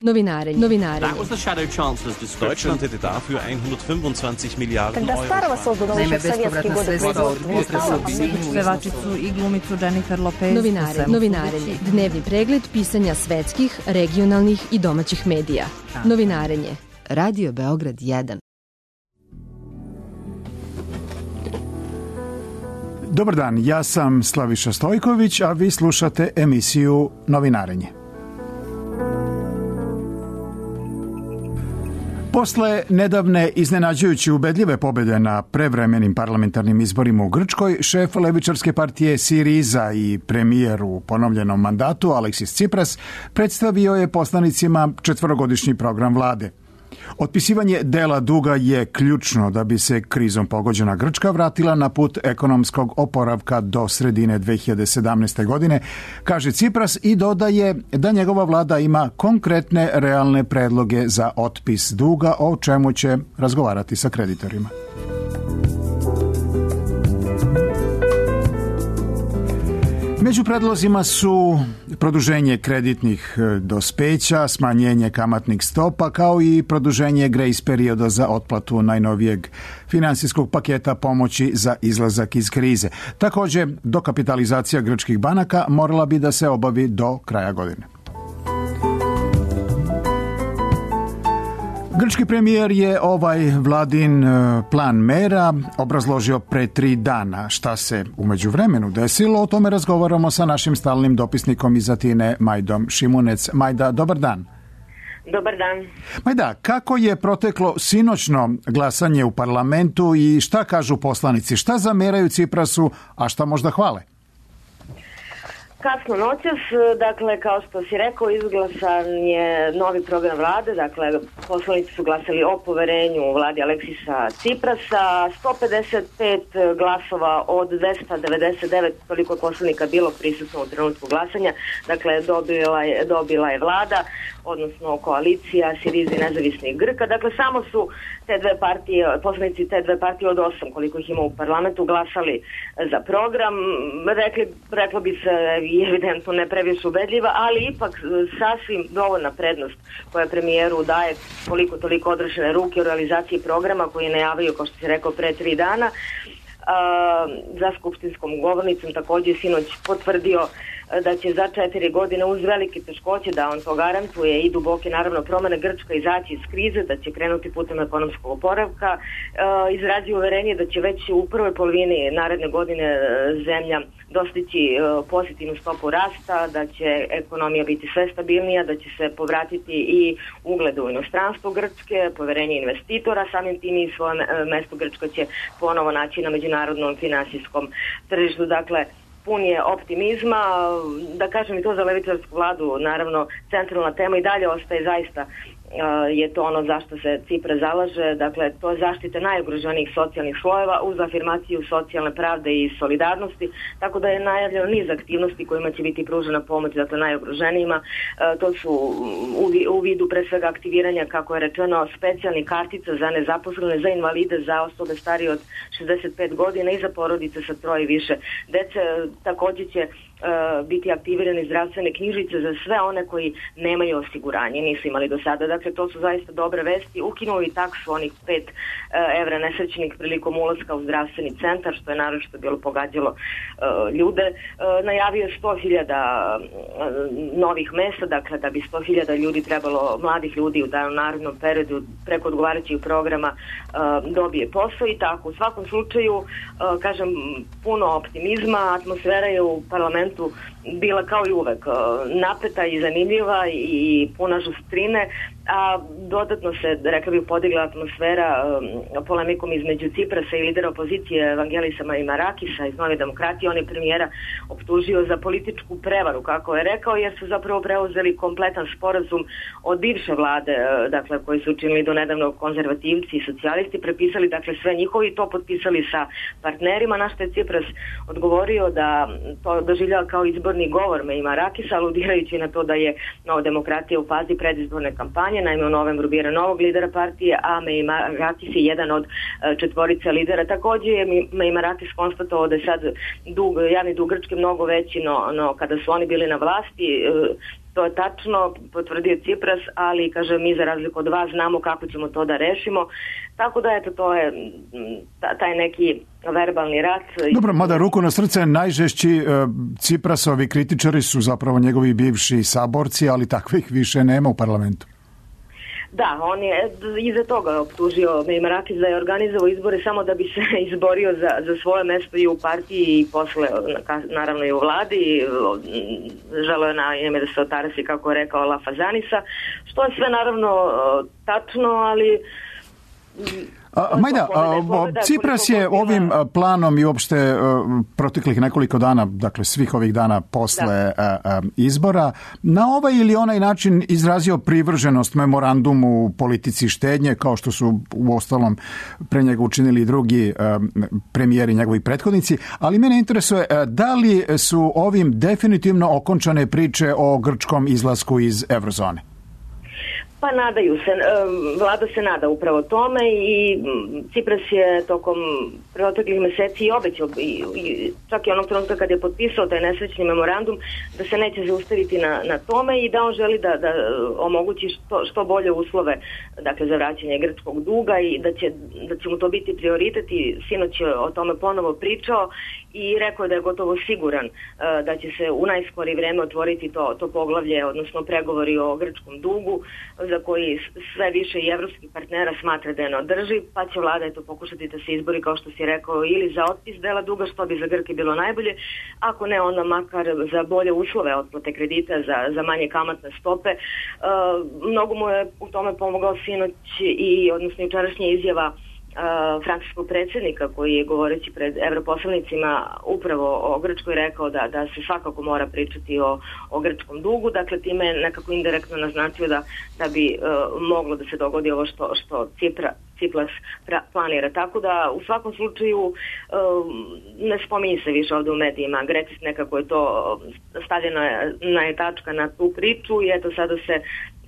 Novinarenje. Deutschland hätte dafür 125 Milijarden Euro. Naime, bespovratna sredstva od potresa u Sinju. Pevačicu i glumicu Jennifer Lopez. Novinarenje. Dnevni pregled pisanja svetskih, regionalnih i domaćih medija. Novinarenje. Radio Beograd 1. Dobar dan, ja sam Slaviša Stojković, a vi slušate emisiju Novinarenje. Posle nedavne iznenađujuće ubedljive pobjede na prevremenim parlamentarnim izborima u Grčkoj, šef levičarske partije Siriza i premijer u ponovljenom mandatu Aleksis Tsipras predstavio je poslanicima četvorogodišnji program vlade. Otpisivanje dela duga je ključno da bi se krizom pogođena Grčka vratila na put ekonomskog oporavka do sredine 2017. godine, kaže Tsipras i dodaje da njegova vlada ima konkretne realne predloge za otpis duga, o čemu će razgovarati sa kreditorima. Među predlozima su produženje kreditnih dospeća, smanjenje kamatnih stopa, kao i produženje grace perioda za otplatu najnovijeg finansijskog paketa pomoći za izlazak iz krize. Također, dokapitalizacija grčkih banaka morala bi da se obavi do kraja godine. Grčki premijer je ovaj vladin plan mera obrazložio pre 3 dana. Šta se u međuvremenu desilo, o tome razgovaramo sa našim stalnim dopisnikom iz Atine, Majdom Šimunec. Majda, dobar dan. Dobar dan. Majda, kako je proteklo sinoćno glasanje u parlamentu i šta kažu poslanici? Šta zameraju Tsiprasu, a šta možda hvale? Kasno noćas, dakle, kao što si rekao, izglasan je novi program vlade, dakle, poslanici su glasali o poverenju vladi Aleksisa Tsiprasa, 155 glasova od 299, toliko je poslanika bilo prisutno u trenutku glasanja, dakle, dobila je vlada, odnosno koalicija Siriza i nezavisnih Grka, dakle, samo su te dve partije, poslanici te dve partije od 8, koliko ih ima u parlamentu, glasali za program, reklo bi se i evidentno ne previše ubedljiva, ali ipak sasvim dovoljna prednost koja premijeru daje koliko toliko odrešene ruke u realizaciji programa koji je najavio, kao što si rekao, pre 3 dana. Za skupštinskom govornicom također sinoć potvrdio da će za 4 godine uz velike teškoće, da on to garantuje i duboke naravno promene, Grčka izaći iz krize, da će krenuti putem ekonomskog oporavka, izrazio uverenje da će već u prvoj polovini naredne godine zemlja dostići pozitivnu stopu rasta, da će ekonomija biti sve stabilnija, da će se povratiti i ugled u inostranstvu Grčke, poverenje investitora, samim tim i svoje mesto Grčka će ponovo naći na međunarodnom finansijskom tržištu. Dakle, pun je optimizma, da kažem i to za levičarsku vladu, naravno centralna tema i dalje ostaje zaista je to ono zašto se Tsipras zalaže, dakle to je zaštita najugroženijih socijalnih slojeva uz afirmaciju socijalne pravde i solidarnosti, tako da je najavljeno niz aktivnosti kojima će biti pružena pomoć, dakle najugroženijima. To su u vidu pre svega aktiviranja, kako je rečeno, specijalnih kartica za nezaposlene, za invalide, za osobe starije od 65 godina i za porodice sa 3 i više dece. Također će biti aktivirane zdravstvene knjižice za sve one koji nemaju osiguranje, nisu imali do sada. Dakle, to su zaista dobre vesti. Ukinuli taksu onih 5 evra nesrećenih prilikom ulaska u zdravstveni centar, što je naročito bilo pogađalo ljude. Najavio je 100.000 novih mesta, dakle da bi 100.000 ljudi trebalo, mladih ljudi u narednom periodu preko odgovarajućih programa dobije posao i tako. U svakom slučaju, kažem, puno optimizma, atmosfera je u parlamentu bila kao i uvek napeta i zanimljiva i puna žustrine, a dodatno se, rekla bih, podigla atmosfera polemikom između Tsiprasa i lidera opozicije Vangelisa Maimarakisa iz Nove demokratije. On je premijera optužio za političku prevaru, kako je rekao, jer su zapravo preuzeli kompletan sporazum od bivše vlade, dakle, koji su učinili do nedavno konzervativci i socijalisti, prepisali dakle sve njihovi i to potpisali sa partnerima, na što je Tsipras odgovorio da to doživljava kao izborni govor Maimarakisa, aludirajući na to da je Nova demokratija u fazi predizborne kampanje. Naime, u novembru bira novog lidera partije, a Maimarakis je jedan od 4 lidera. Također je Maimarakis konstatovao da je sad javni dug Grčke mnogo veći no kada su oni bili na vlasti. to je tačno, potvrdio Cipras, ali kaže mi za razliku od vas znamo kako ćemo to da rešimo. Tako da eto, to je taj neki verbalni rat. Dobro, mada ruku na srce, najžešći Ciprasovi kritičari su zapravo njegovi bivši saborci, ali takvih više nema u parlamentu. Da, on je iza toga optužio Meimarakis da je organizovao izbore samo da bi se izborio za svoje mesto i u partiji i posle, naravno i u vladi. Želeo je na ime da se otarasi, kako je rekao, La Fazanisa, što je sve naravno tačno, ali... Majda, Cipras je ovim planom i uopšte proteklih nekoliko dana, dakle svih ovih dana posle izbora, na ovaj ili onaj način izrazio privrženost memorandumu politici štednje, kao što su uostalom pre njega učinili i drugi premijeri, njegovi prethodnici, ali mene interesuje da li su ovim definitivno okončane priče o grčkom izlasku iz eurozone? Pa nadaju se, vlada se nada upravo tome i Cipras je tokom proteklih meseci i obećao, čak i onog trenutka kad je potpisao taj nesrećni memorandum, da se neće zaustaviti na tome i da on želi da omogući što bolje uslove, dakle, za vraćanje grčkog duga i da će mu to biti prioritet i sinoć je o tome ponovo pričao i rekao da je gotovo siguran da će se u najskorije vreme otvoriti to poglavlje, odnosno pregovori o grčkom dugu, za koji sve više i evropskih partnera smatra da je neodrživ, pa će vlada pokušati da se izbori, kao što si rekao, ili za otpis dela duga, što bi za Grke bilo najbolje, ako ne, onda makar za bolje uslove otplate kredita, za manje kamatne stope. Mnogo mu je u tome pomogao sinoć i, odnosno, jučerašnja izjava francuskog predsjednika, koji je, govoreći pred europoslanicima upravo o Grčkoj, rekao da se svakako mora pričati o grčkom dugu. Dakle, time je nekako indirektno naznačio da bi moglo da se dogodi ovo što Cipras planira. Tako da u svakom slučaju ne spominje se više ovdje u medijima. Grecis nekako je to stavljena je tačka na tu priču i eto sada se,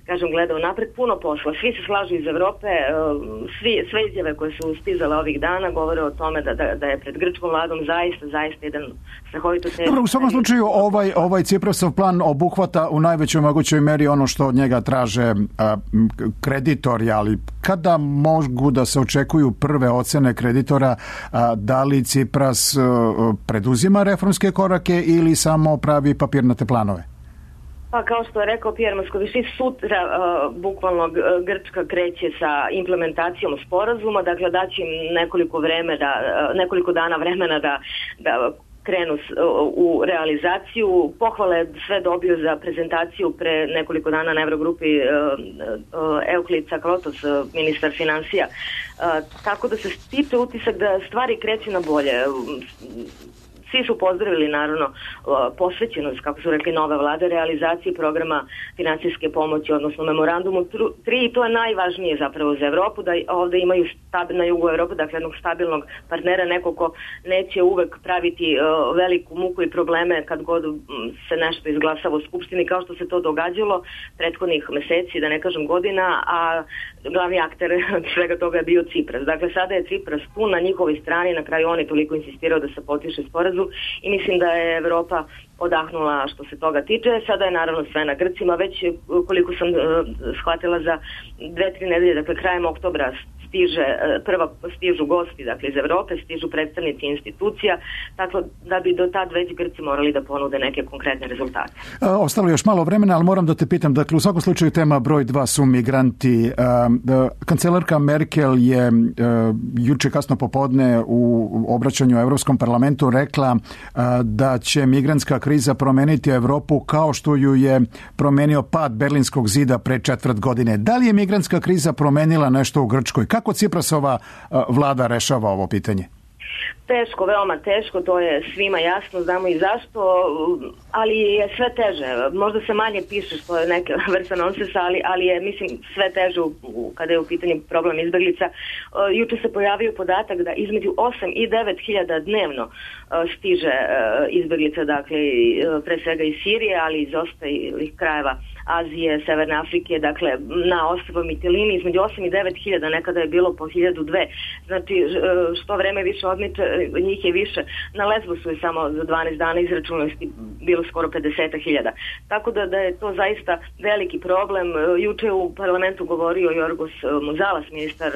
kažem, gledao napred, puno posla. Svi se slažu iz Evrope, sve izjave koje su stizale ovih dana govore o tome da je pred grčkom vladom zaista jedan strahovito težak. Dobro, u svakom slučaju ovaj Ciprasov plan obuhvata u najvećoj mogućoj meri ono što od njega traže kreditori, ali kada mogu da se očekuju prve ocene kreditora, da li Cipras preduzima reformske korake ili samo pravi papirnate planove? Pa kao što je rekao Pierre Moscovici, sutra bukvalno Grčka kreće sa implementacijom sporazuma, dakle daće im nekoliko dana vremena da krenu u realizaciju. Pohvale sve dobio za prezentaciju pre nekoliko dana na Eurogrupi Euklid Saklotos, ministar financija. Tako da se stiče utisak da stvari kreću na bolje. Svi su pozdravili, naravno, posvećenost, kako su rekli, nove vlade, realizaciji programa financijske pomoći, odnosno memorandumu 3, i to je najvažnije zapravo za Evropu, da ovde imaju na jugu Evrope, dakle, jednog stabilnog partnera, neko ko neće uvek praviti veliku muku i probleme kad god se nešto izglasava u Skupštini, kao što se to događalo prethodnih meseci, da ne kažem godina, a glavni akter svega toga je bio Cipras. Dakle, sada je Cipras tu na njihovoj strani, na kraju on je toliko insistirao da se potpiše sporazum i mislim da je Evropa odahnula što se toga tiče. Sada je naravno sve na Grcima, već koliko sam shvatila za 2-3 nedelje, dakle krajem oktobra stižu gosti, dakle, iz Evrope, stižu predstavnici institucija, tako da bi do tad već Grci morali da ponude neke konkretne rezultate. Ostalo još malo vremena, ali moram da te pitam, dakle, u svakom slučaju tema broj 2 su migranti. Kancelarka Merkel je juče kasno popodne u obraćanju Evropskom parlamentu rekla da će migrantska kriza promeniti Evropu kao što ju je promenio pad Berlinskog zida pre 4 godine. Da li je migrantska kriza promenila nešto u Grčkoj? Kako Ciprasova vlada rešava ovo pitanje? Teško, veoma teško, to je svima jasno, znamo i zašto, ali je sve teže. Možda se manje piše, što je neka vrsta nonsesa, ali je, mislim, sve teže kada je u pitanju problem izbeglica. Juče se pojavio podatak da između 8 i 9 hiljada dnevno stiže izbeglica, dakle, pre svega iz Sirije, ali iz ostalih krajeva Azije, Severne Afrike, dakle na ostrvo Mitilini između 8 i 9 hiljada, nekada je bilo po 1002. Znači što vreme više odmiče, njih je više. Na Lesbosu je samo za 12 dana izračunosti bilo skoro 50.000. Tako da je to zaista veliki problem. Juče je u parlamentu govorio Jorgos Muzalas, ministar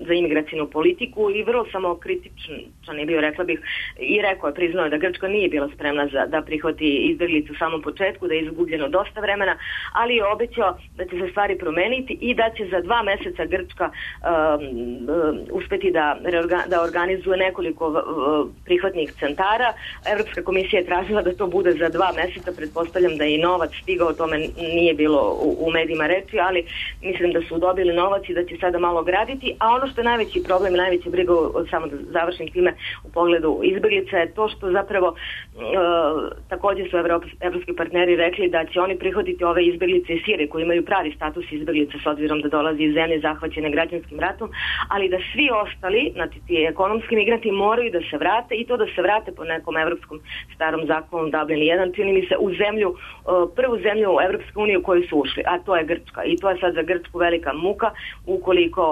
za imigracijnu politiku, i vrlo samokritičan je bio, rekla bih, i rekao je, priznao je da Grčka nije bila spremna da prihvati izbjeglice u samom početku, da je izgubljeno dosta vremena, ali je obećao da će se stvari promeniti i da će za 2 meseca Grčka uspeti da organizuje nekoliko prihvatnih centara. Evropska komisija je tražila da to bude za 2 meseca, pretpostavljam da je i novac stigao, o tome nije bilo u medijima reči, ali mislim da su dobili novac i da će sada malo graditi, a ono što je najveći problem i najveća briga, samo da završim time, u pogledu izbjeglica je to što zapravo također su evropski partneri rekli da će oni prihvatiti ove izbjeglice iz Sirije koji imaju pravi status izbjeglica s obzirom da dolazi iz zemlje zahvaćene građanskim ratom, ali da svi ostali, znači ti ekonomski migranti, moraju da se vrate, i to da se vrate po nekom evropskom starom zakonu Dublin 1, čini mi se, u zemlju, prvu zemlju u Evropsku uniju u koju su ušli, a to je Grčka. I to je sad za Grčku velika muka ukoliko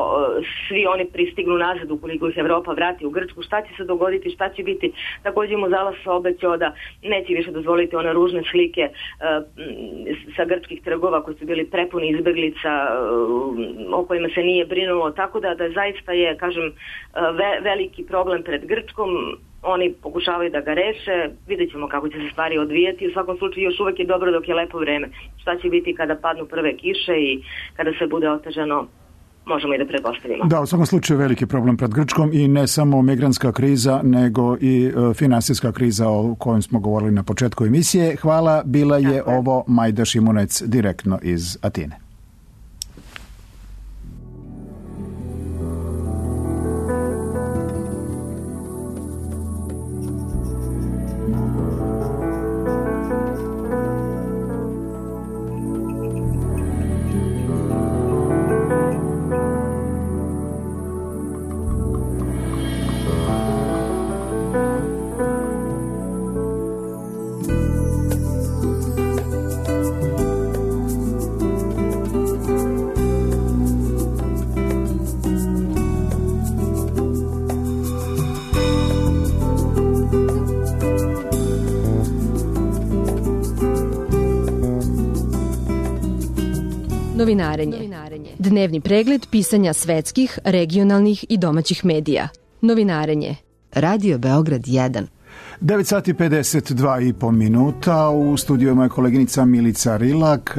svi oni pristignu nazad, ukoliko ih Evropa vrati u Grčku. Šta će se dogoditi, šta će biti? Također Muzalas obećao da neće više dozvoliti one ružne slike sa grčkih trgova koji su bili prepuni izbjeglica o kojima se nije brinulo, tako da zaista je, kažem, veliki problem pred Grčkom. Oni pokušavaju da ga reše, vidjet ćemo kako će se stvari odvijati. U svakom slučaju još uvijek je dobro dok je lepo vreme. Šta će biti kada padnu prve kiše i kada sve bude otežano, možemo i da pretpostavimo. Da, u svakom slučaju veliki problem pred Grčkom, i ne samo migrantska kriza, nego i finansijska kriza o kojoj smo govorili na početku emisije. Hvala, bila je ovo Majda Šimunec direktno iz Atine. Novinarenje. Dnevni pregled pisanja svetskih, regionalnih i domaćih medija. Novinarenje. Radio Beograd 1. 9 sati 52,5 minuta. U studiju je moja koleginica Milica Rilak.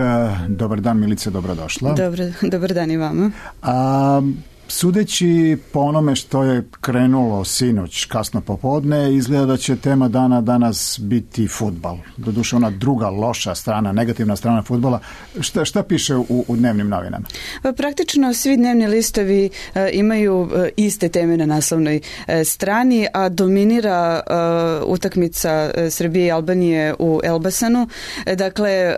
Dobar dan, Milice, dobrodošla. Dobar dan i vama. Sudeći po onome što je krenulo sinoć kasno popodne, izgleda da će tema dana danas biti fudbal. Doduše ona druga loša strana, negativna strana fudbala. Šta piše u dnevnim novinama? Praktično svi dnevni listovi imaju iste teme na naslovnoj strani, a dominira utakmica Srbije i Albanije u Elbasanu. Dakle,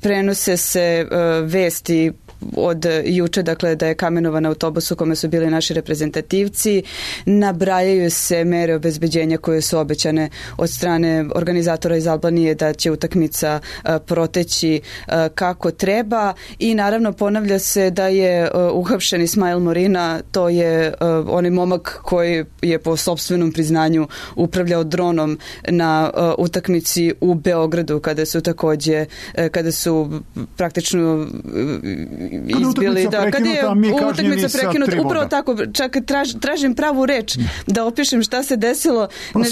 prenose se vesti od juče, dakle, da je kamenovan autobus u kome su bili naši reprezentativci. Nabrajaju se mere obezbeđenja koje su obećane od strane organizatora iz Albanije da će utakmica proteći kako treba, i naravno ponavlja se da je uhapšen Ismail Morina, to je onaj momak koji je po sopstvenom priznanju upravljao dronom na utakmici u Beogradu kada su praktično izbili, kada je utakmica prekinuta, upravo tako, čak tražim pravu reč da opišem šta se desilo, ne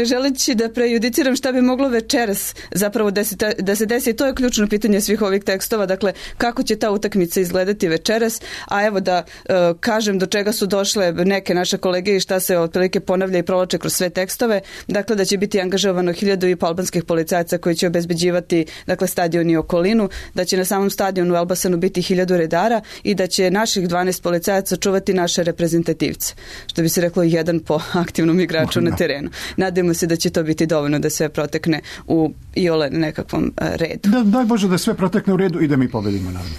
želeći da prejudiciram šta bi moglo večeras zapravo da se desi. To je ključno pitanje svih ovih tekstova, dakle, kako će ta utakmica izgledati večeras, a evo da kažem do čega su došle neke naše kolege i šta se otprilike ponavlja i provlače kroz sve tekstove. Dakle, da će biti angažovano 1.500 albanskih policajaca koji će obezbeđivati, dakle, stadion i okolinu, da će na samom novom stadionu u Elbasanu biti 1000 redara i da će naših 12 policajaca čuvati naše reprezentativce. Što bi se reklo, jedan po aktivnom igraču na terenu. Nadajmo se da će to biti dovoljno da sve protekne u iole nekakvom redu. Daj Bože da sve protekne u redu i da mi pobedimo, naravno.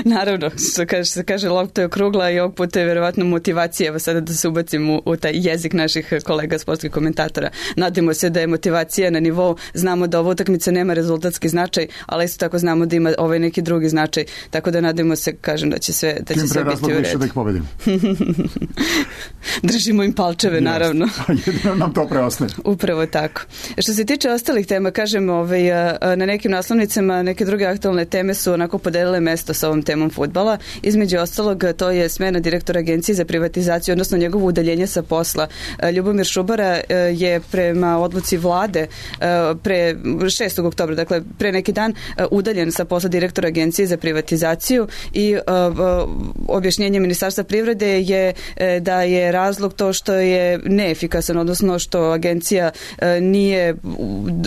Naravno, što se kaže, lopta je okrugla i ovog puta je verovatno motivacija, evo sada da se ubacim u taj jezik naših kolega sportskih komentatora. Nadimo se da je motivacija na nivou, znamo da ova utakmica nema rezultatski značaj, ali isto tako znamo da ima ovaj neki drugi značaj, tako da nadimo se, kažem, da će sve biti u redu. Da ih pobedimo. Držimo im palčeve, naravno. Jedino nam to preostaje. Upravo tako. Što se tiče ostalih tema, kažem, na nekim naslovnicama neke druge aktualne teme su onako podelile mesto sa ovom temom fudbala. Između ostalog, to je smena direktora Agencije za privatizaciju, odnosno njegovo udaljenje sa posla. Ljubomir Šubara je prema odluci vlade pre 6. oktobra, dakle pre neki dan, udaljen sa posla direktora Agencije za privatizaciju i objašnjenje Ministarstva privrede je da je razlog to što je neefikasan, odnosno što agencija nije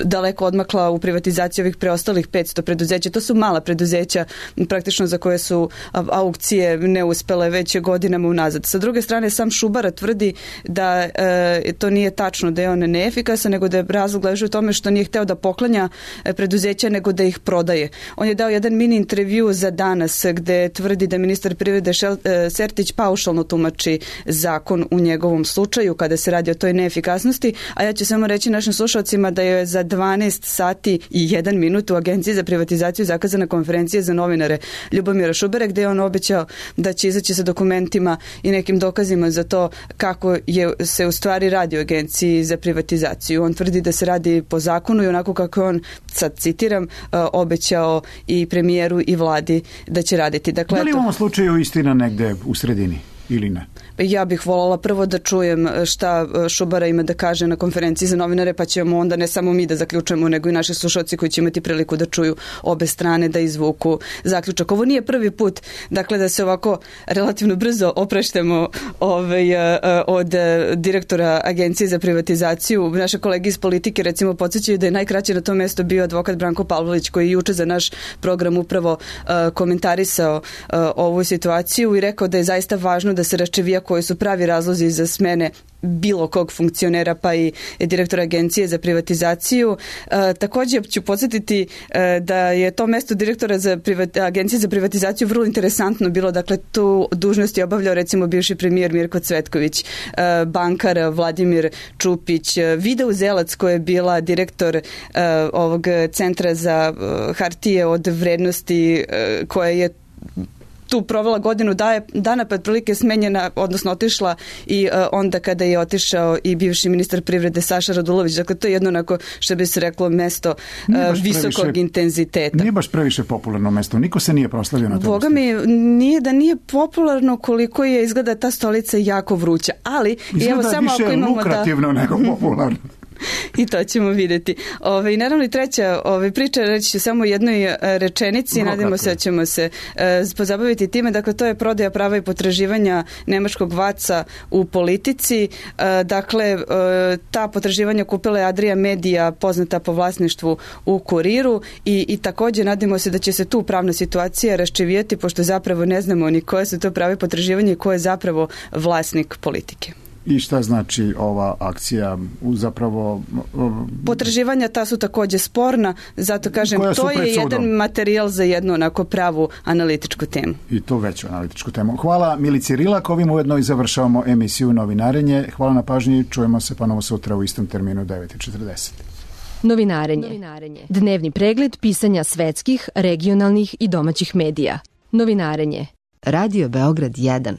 daleko odmakla u privatizaciji ovih preostalih 500 preduzeća. To su mala preduzeća praktično za koje su aukcije neuspele već godinama unazad. Sa druge strane, sam Šubara tvrdi da to nije tačno, da je on neefikasan, nego da je razlog leži u tome što nije hteo da poklanja preduzeća, nego da ih prodaje. On je dao jedan mini intervju za Danas gde tvrdi da ministar privrede Sertić paušalno tumači zakon u njegovom slučaju kada se radi o toj neefikasnosti, a ja ću samo reći našim slušalcima da je za 12 sati i 1 minut u Agenciji za privatizaciju zakazana konferencija za novinare Ljubomira Šubara, gde je on obećao da će izaći sa dokumentima i nekim dokazima za to kako se u stvari radi u Agenciji za privatizaciju. On tvrdi da se radi po zakonu i onako kako on, sad citiram, obećao i premijeru i vladi da će raditi. Dakle, da li u ovom slučaju istina negde u sredini ili ne? Ja bih voljela prvo da čujem šta Šubara ima da kaže na konferenciji za novinare, pa ćemo onda ne samo mi da zaključujemo, nego i naši slušalci koji će imati priliku da čuju obe strane, da izvuku zaključak. Ovo nije prvi put, dakle, da se ovako relativno brzo opreštemo od direktora Agencije za privatizaciju. Naše kolege iz politike, recimo, podsjećaju da je najkraće na tom mestu bio advokat Branko Pavlović, koji je juče za naš program upravo komentarisao ovu situaciju i rekao da je zaista važno da se raščivija koji su pravi razlozi za smene bilo kog funkcionera, pa i direktora Agencije za privatizaciju. Također ću podsjetiti da je to mesto direktora Agencije za privatizaciju vrlo interesantno bilo. Dakle, tu dužnost je obavljao recimo bivši premijer Mirko Cvetković, bankar Vladimir Čupić, Vida Uzelac koja je bila direktor ovog centra za hartije od vrednosti, koja je tu provela godinu dana, pa otprilike smenjena, odnosno otišla i onda kada je otišao i bivši ministar privrede Saša Radulović. Dakle, to je jedno onako, što bi se reklo, mesto visokog intenziteta. Nije baš previše popularno mesto. Niko se nije proslavio na to. Boga mi, nije da nije popularno koliko je izgleda ta stolica jako vruća. Ali, izgleda evo, samo više ako imamo lukrativno nego popularno. I to ćemo vidjeti. I naravno i treća priča, reći ću samo jednoj rečenici, nadamo se da ćemo se pozabaviti time. Dakle, to je prodaja prava i potraživanja nemačkog Vaca u politici. Dakle, ta potraživanja kupila je Adria Media, poznata po vlasništvu u Kuriru i također nadamo se da će se tu pravna situacija raščivijeti, pošto zapravo ne znamo ni koje su to prave potraživanje i ko je zapravo vlasnik politike. I šta znači ova akcija zapravo? Potraživanja ta su također sporna, zato kažem, to je jedan materijal za jednu onako pravu analitičku temu. I to veću analitičku temu. Hvala Milici Rilak, ovim ujedno i završavamo emisiju Novinarenje. Hvala na pažnji, čujemo se ponovo sutra u istom terminu 9:40. Novinarenje. Dnevni pregled pisanja svetskih, regionalnih i domaćih medija. Novinarenje. Radio Beograd 1.